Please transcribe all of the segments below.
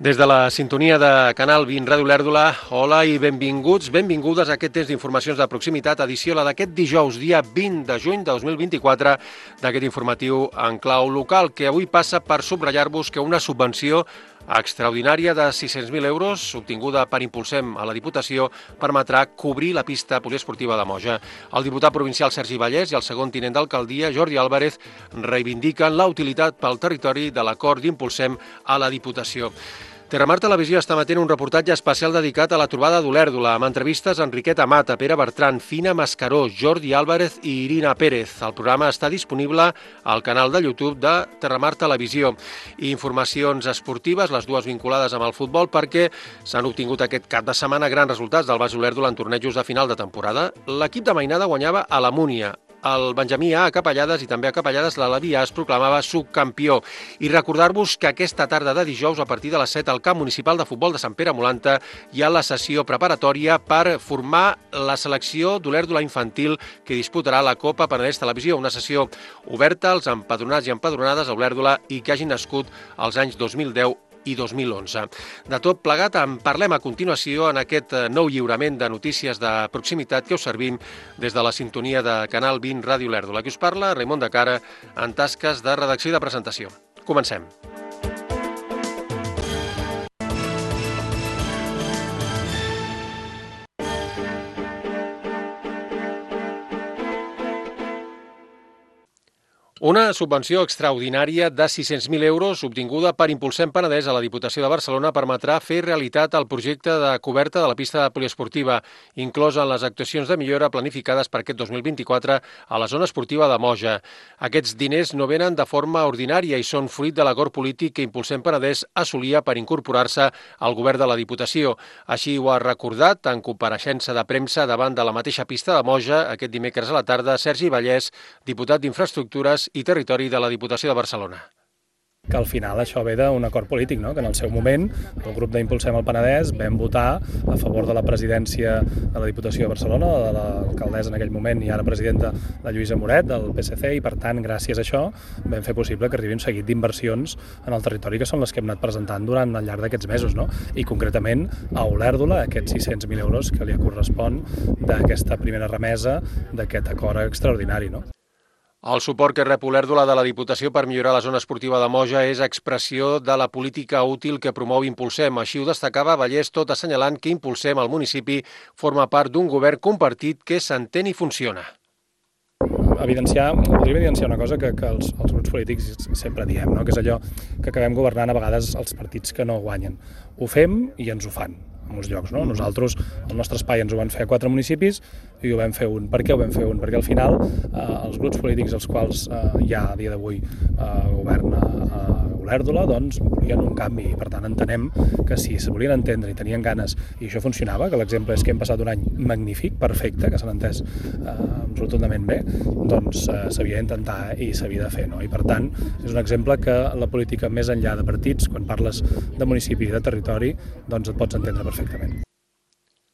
Des de la sintonia de Canal 20 Ràdio Olèrdola, hola i benvinguts, benvingudes a aquest temps d'informacions de proximitat, edició la d'aquest dijous, dia 20 de juny de 2024, d'aquest informatiu en clau local, que avui passa per subratllar-vos que una subvenció extraordinària de 600.000 euros, obtinguda per Impulsem a la Diputació, permetrà cobrir la pista poliesportiva de Moja. El diputat provincial Sergi Vallès i el segon tinent d'alcaldia, Jordi Álvarez, reivindiquen la utilitat pel territori de l'acord d'Impulsem a la Diputació. Terramar Televisió està emetent un reportatge especial dedicat a la trobada d'Olèrdola, amb entrevistes a Enriqueta Mata, Pere Bertran, Fina Mascaró, Jordi Álvarez i Irina Pérez. El programa està disponible al canal de YouTube de Terramar Televisió. I informacions esportives, les dues vinculades amb el futbol, perquè s'han obtingut aquest cap de setmana grans resultats del Baix Olèrdola en tornejos de final de temporada. L'equip de Mainada guanyava a la Múnia. El Benjamí A, a Capellades, i també a Capellades l'Alaví A es proclamava subcampió. I recordar-vos que aquesta tarda de dijous, a partir de les 7, al camp municipal de futbol de Sant Pere Molanta, hi ha la sessió preparatòria per formar la selecció d'Olèrdola infantil que disputarà la Copa Penedès Televisió, una sessió oberta als empadronats i empadronades a Olèrdola i que hagin nascut als anys 2010 i 2011. De tot plegat en parlem a continuació en aquest nou lliurament de notícies de proximitat que us servim des de la sintonia de Canal 20 Ràdio Olèrdola. Qui us parla, Raimon de Cara, en tasques de redacció i de presentació. Comencem. Una subvenció extraordinària de 600.000 euros obtinguda per Impulsem Penedès a la Diputació de Barcelona permetrà fer realitat el projecte de coberta de la pista poliesportiva, inclosa en les actuacions de millora planificades per aquest 2024 a la zona esportiva de Moja. Aquests diners no venen de forma ordinària i són fruit de l'acord polític que Impulsem Penedès assolia per incorporar-se al govern de la Diputació. Així ho ha recordat en compareixença de premsa davant de la mateixa pista de Moja aquest dimecres a la tarda Sergi Vallès, diputat d'Infraestructures i Territori de la Diputació de Barcelona. Que al final això ve d'un acord polític, no? Que en el seu moment el grup d'Impulsem al Penedès vam votar a favor de la presidència de la Diputació de Barcelona, de l'alcaldessa en aquell moment i ara presidenta de Lluïsa Moret, del PSC, i per tant, gràcies a això, vam fer possible que arribi un seguit d'inversions en el territori que són les que hem anat presentant durant el llarg d'aquests mesos, no? I concretament a Olèrdola, aquests 600.000 euros que li correspon d'aquesta primera remesa d'aquest acord extraordinari, no? El suport que rep Olèrdola de la Diputació per millorar la zona esportiva de Moja és expressió de la política útil que promou Impulsem. Així ho destacava Vallès, tot assenyalant que Impulsem al municipi forma part d'un govern compartit que s'entén i funciona. Voldria evidenciar una cosa que els grups polítics sempre diem, no? Que és allò que acabem governant a vegades els partits que no guanyen. Ho fem i ens ho fan en molts llocs, no? Nosaltres, el nostre espai ens ho van fer a 4 municipis i ho vam fer un. Per què ho vam fer un? Perquè al final els grups polítics els quals hi ha a dia d'avui govern a Olèrdola, doncs volien un canvi i per tant entenem que si se volien entendre i tenien ganes i això funcionava, que l'exemple és que hem passat un any magnífic, perfecte, que s'han entès absolutament bé, doncs s'havia d'intentar i s'havia de fer, no? I per tant és un exemple que la política més enllà de partits, quan parles de municipi i de territori, doncs et pots entendre perfectament.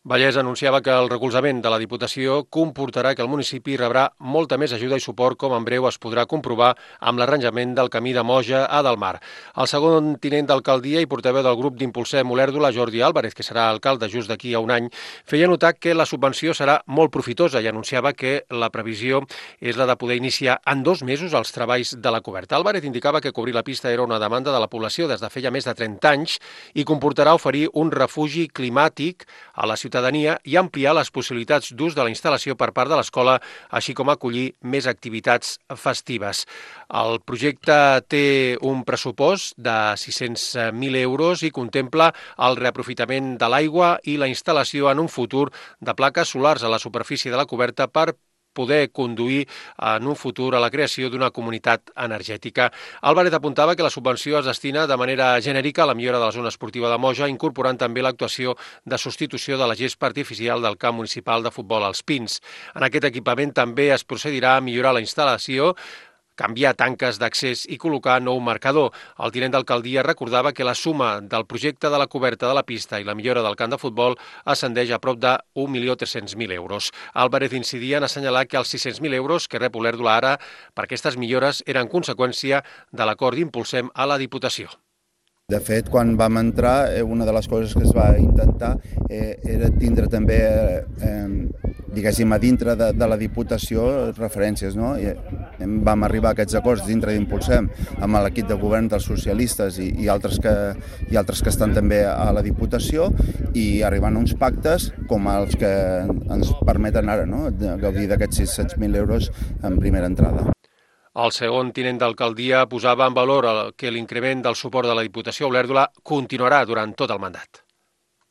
Vallès anunciava que el recolzament de la Diputació comportarà que el municipi rebrà molta més ajuda i suport, com en breu es podrà comprovar amb l'arranjament del camí de Moja a Delmar. El segon tinent d'alcaldia i portaveu del grup d'Impulsem Olèrdola, Jordi Álvarez, que serà alcalde just d'aquí a un any, feia notar que la subvenció serà molt profitosa i anunciava que la previsió és la de poder iniciar en 2 mesos els treballs de la coberta. Álvarez indicava que cobrir la pista era una demanda de la població des de feia més de 30 anys i comportarà oferir un refugi climàtic a la ciutadania i ampliar les possibilitats d'ús de la instal·lació per part de l'escola, així com acollir més activitats festives. El projecte té un pressupost de 600.000 euros i contempla el reaprofitament de l'aigua i la instal·lació en un futur de plaques solars a la superfície de la coberta per poder conduir en un futur a la creació d'una comunitat energètica. Álvarez apuntava que la subvenció es destina de manera genèrica a la millora de la zona esportiva de Moja, incorporant també l'actuació de substitució de la gespa artificial del camp municipal de futbol als Pins. En aquest equipament també es procedirà a millorar la instal·lació, canviar tanques d'accés i col·locar nou marcador. El tinent d'alcaldia recordava que la suma del projecte de la coberta de la pista i la millora del camp de futbol ascendeix a prop de 1.300.000 euros. Álvarez incidia en assenyalar que els 600.000 euros que rep Olèrdola ara per aquestes millores eren conseqüència de l'acord d'Impulsem a la Diputació. De fet, quan vam entrar, una de les coses que es va intentar era tindre també, diguéssim, a dintre de la Diputació referències, no? I vam arribar a aquests acords dintre d'Impulsem amb l'equip de govern dels socialistes i altres que estan també a la Diputació, i arribant a uns pactes com els que ens permeten ara, no?, gaudir d'aquests 600.000 euros en primera entrada. El segon tinent d'alcaldia posava en valor que l'increment del suport de la Diputació a Olèrdola continuarà durant tot el mandat.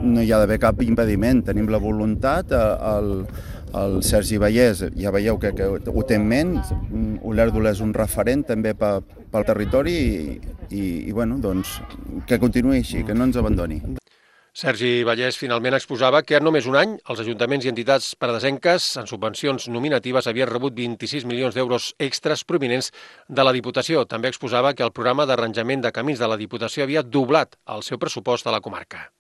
No hi ha d'haver cap impediment, tenim la voluntat, el Sergi Vallès, ja veieu que ho té en ment, Olèrdola és un referent també pel territori i bueno, doncs, que continuï així, que no ens abandoni. Sergi Vallès finalment exposava que en només un any els ajuntaments i entitats paradesenques en subvencions nominatives havien rebut 26 milions d'euros extras provinents de la Diputació. També exposava que el programa d'arranjament de camins de la Diputació havia doblat el seu pressupost a la comarca.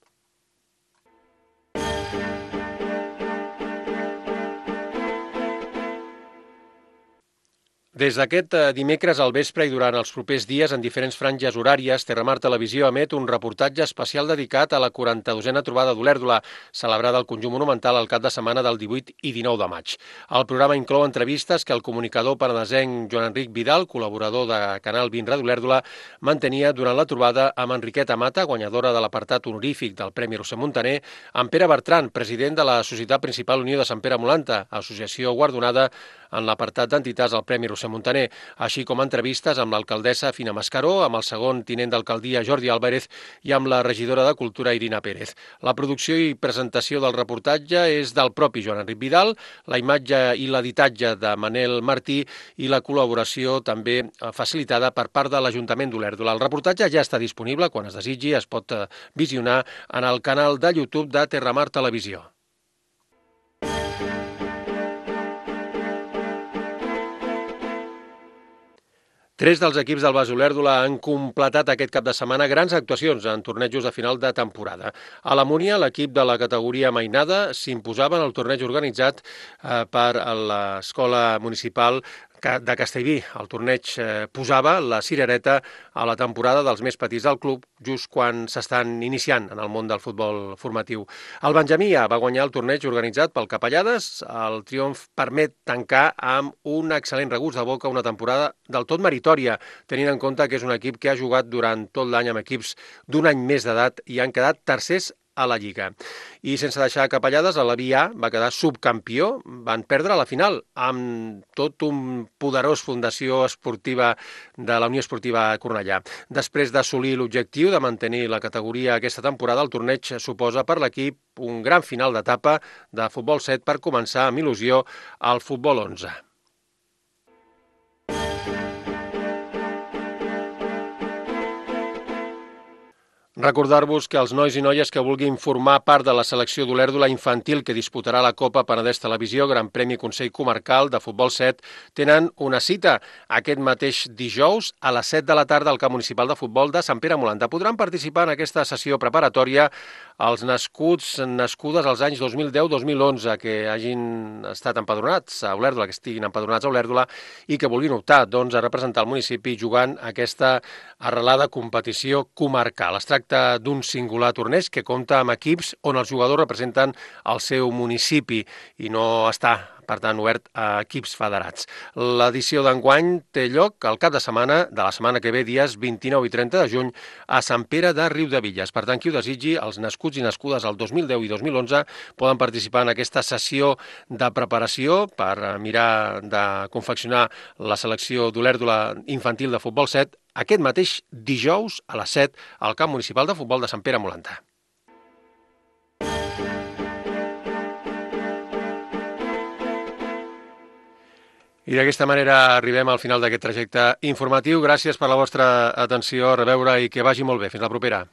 Des d'aquest dimecres al vespre i durant els propers dies, en diferents franges horàries, Terramar Televisió emet un reportatge especial dedicat a la 42a trobada d'Olèrdola, celebrada al Conjunt Monumental el cap de setmana del 18 i 19 de maig. El programa inclou entrevistes que el comunicador penedesenc Joan Enric Vidal, col·laborador de Canal 20 Ràdio Olèrdola, mantenia durant la trobada amb Enriqueta Mata, guanyadora de l'apartat honorífic del Premi Roser Montaner, amb Pere Bertran, president de la Societat Principal Unió de Sant Pere Molanta, associació guardonada en l'apartat d'entitats al Premi Roser Montaner, així com entrevistes amb l'alcaldessa Fina Mascaró, amb el segon tinent d'alcaldia Jordi Álvarez i amb la regidora de Cultura Irina Pérez. La producció i presentació del reportatge és del propi Joan Enric Vidal, la imatge i l'editatge de Manel Martí i la col·laboració també facilitada per part de l'Ajuntament d'Olèrdola. El reportatge ja està disponible, quan es desitgi es pot visionar en el canal de YouTube de Terramar Televisió. Tres dels equips del Bas Olèrdola han completat aquest cap de setmana grans actuacions en tornejos de final de temporada. A la Múnia, l'equip de la categoria mainada s'imposava en el torneig organitzat per l'Escola Municipal de Castellví. El torneig posava la cirereta a la temporada dels més petits del club, just quan s'estan iniciant en el món del futbol formatiu. El Benjamí va guanyar el torneig organitzat pel Capellades. El triomf permet tancar amb un excel·lent regust de boca una temporada del tot meritòria, tenint en compte que és un equip que ha jugat durant tot l'any amb equips d'un any més d'edat i han quedat tercers a la Lliga. I sense deixar Capellades, l'Avi A va quedar subcampió, van perdre a la final amb tot un poderós fundació esportiva de la Unió Esportiva Cornellà. Després d'assolir l'objectiu de mantenir la categoria aquesta temporada, el torneig suposa per l'equip un gran final d'etapa de futbol 7 per començar amb il·lusió al futbol 11. Recordar-vos que els nois i noies que vulguin formar part de la selecció d'Olèrdola infantil que disputarà la Copa Penedès Televisió, Gran Premi Consell Comarcal de Futbol 7, tenen una cita aquest mateix dijous a les 7 de la tarda al Camp Municipal de Futbol de Sant Pere Molanta. Podran participar en aquesta sessió preparatòria els nascudes als anys 2010-2011, que hagin estat empadronats a Olèrdola, que estiguin empadronats a Olèrdola i que vulguin optar a representar el municipi jugant aquesta arrelada competició comarcal. Es tracta d'un singular torneig que compta amb equips on els jugadors representen el seu municipi i no està, per tant, obert a equips federats. L'edició d'enguany té lloc al cap de setmana de la setmana que ve, dies 29 i 30 de juny, a Sant Pere de Riudebitlles. Per tant, qui ho desitgi, els nascuts i nascudes al 2010 i 2011 poden participar en aquesta sessió de preparació per mirar de confeccionar la selecció d'Olèrdola infantil de futbol 7 aquest mateix dijous a les 7 al Camp Municipal de Futbol de Sant Pere Molanta. I d'aquesta manera arribem al final d'aquest trajecte informatiu. Gràcies per la vostra atenció, a reveure i que vagi molt bé. Fins la propera.